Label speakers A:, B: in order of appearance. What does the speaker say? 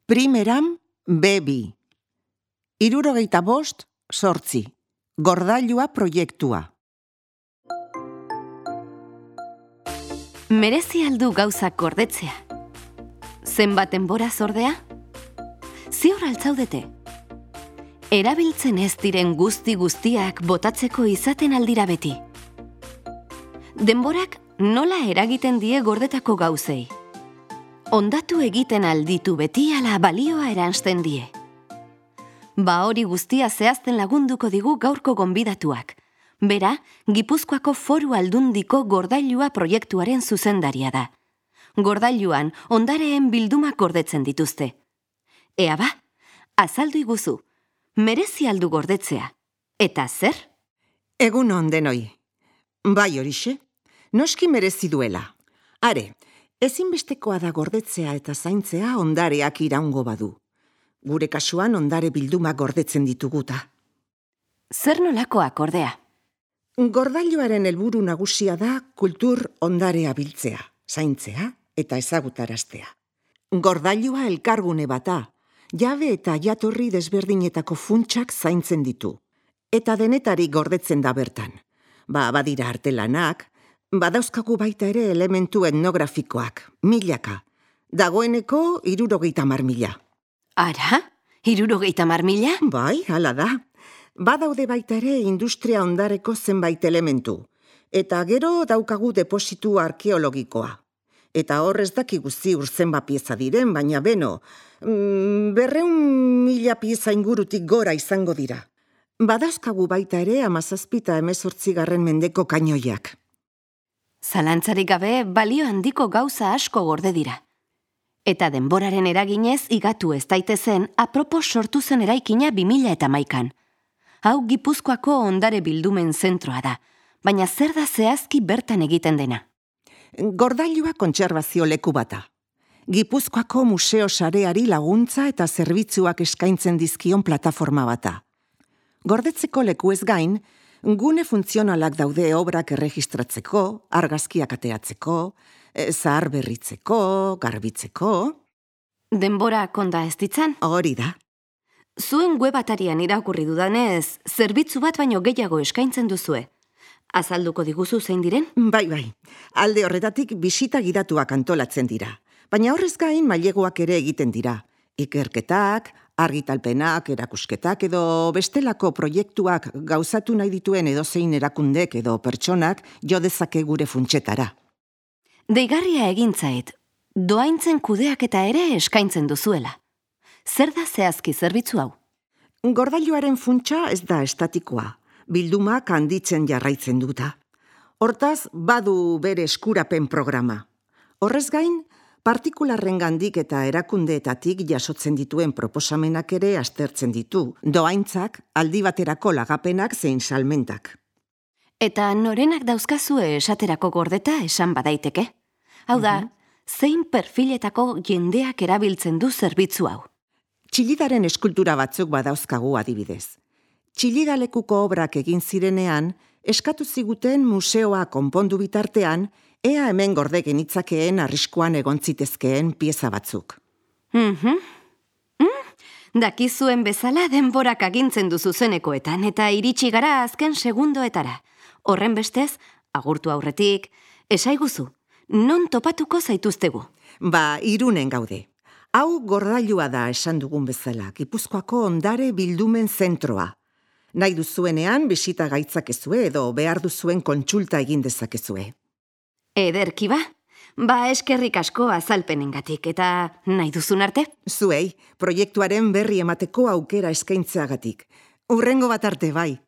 A: Primeram B2. 75 Gordailua proiektua.
B: Merezi aldu gauzak gordetzea. Zenbat denbora zordea? Ziur altzaudete. Erabiltzen ez diren guztiak botatzeko izaten aldira beti. Denborak nola eragiten die gordetako gauzei? Ondatu egiten alditu beti ala balioa eransten die. Ba hori guztia zehazten lagunduko digu gaurko gonbidatuak. Bera, Gipuzkoako Foru Aldundiko Gordailua proiektuaren zuzendaria da. Gordailuan ondareen bildumak gordetzen dituzte. Ea ba, azaldu iguzu, merezi aldu gordetzea. Eta zer?
A: Egun on denoi. Bai horixe, noski merezi duela. Are, ezinbestekoa da gordetzea eta zaintzea ondareak iraungo badu. Gure kasuan ondare bildumak gordetzen dituguta.
B: Zer nolakoak ordea?
A: Gordailuaren helburu nagusia da kultur ondarea biltzea, zaintzea eta ezagutaraztea. Gordailua elkargune bata, jabe eta jatorri desberdinetako funtsak zaintzen ditu. Eta denetarik gordetzen da bertan. Badira artelanak, badauzkagu baita ere elementu etnografikoak, milaka. Dagoeneko 70.000.
B: Ara? 70.000?
A: Bai, hala da. Badaude baita ere industria ondareko zenbait elementu. Eta gero daukagu depositu arkeologikoa. Eta horrez dakigu ziur zenbat pieza diren, baina beno, 200.000 pieza ingurutik gora izango dira. Badauzkagu baita ere 17 eta 18 mendeko kainoiak.
B: Zalantzarik gabe balio handiko gauza asko gorde dira. Eta denboraren eraginez igatu ez daitezen apropos sortu zen eraikina 2011an. Hau Gipuzkoako ondare bildumen zentroa da, baina zer da zehazki bertan egiten dena?
A: Gordailua kontserbazio leku bata. Gipuzkoako museo sareari laguntza eta zerbitzuak eskaintzen dizkion plataforma bata. Gordetzeko leku ez gain, gune funtzionalak daude obrak erregistratzeko, argazkiak ateratzeko, zahar berritzeko, garbitzeko.
B: Denbora konda ez ditzan?
A: Hori da.
B: Zuen web atarian irakurri dudanez, zerbitzu bat baino gehiago eskaintzen duzue. Azalduko diguzu zein diren?
A: Bai. Alde horretatik bisita gidatuak antolatzen dira. Baina horrez gain maileguak ere egiten dira. Ikerketak, argitalpenak, erakusketak edo bestelako proiektuak gauzatu nahi dituen edozein erakundek edo pertsonak jo dezake gure funtsetara.
B: Deigarria egintzait, doaintzen kudeaketa ere eskaintzen duzuela. Zer da zehazki zerbitzu hau?
A: Gordailuaren funtsa ez da estatikoa, bildumak handitzen jarraitzen duta. Hortaz, badu bere eskurapen programa. Horrez gain, partikularrengandik eta erakundeetatik jasotzen dituen proposamenak ere aztertzen ditu, doaintzak, aldi baterako lagapenak zein salmentak.
B: Eta norenak dauzkazue esaterako gordeta esan badaiteke? Hau da, zein perfiletako jendeak erabiltzen du zerbitzu hau?
A: Txillidaren eskultura batzuk badauzkagu adibidez. Txillidalekuko obrak egin zirenean, eskatu ziguten museoa konpondu bitartean, ea hemen gorde genitzakeen arriskuan egon zitezkeen pieza batzuk.
B: Dakizuen bezala denborak agintzen duzu zenekoetan eta iritsi gara azken segundoetara. Horren bestez, agurtu aurretik, esaiguzu, non topatuko zaituztegu?
A: Irunen gaude. Hau gordailua da esan dugun bezala, Gipuzkoako ondare bildumen zentroa. Nahi duzuenean bisita gaitzakezue edo behar duzuen kontsulta egin dezakezue.
B: Ederki ba? Eskerrik asko azalpenengatik eta nahi duzun arte?
A: Zuei, proiektuaren berri emateko aukera eskaintzeagatik. Hurrengo bat arte bai.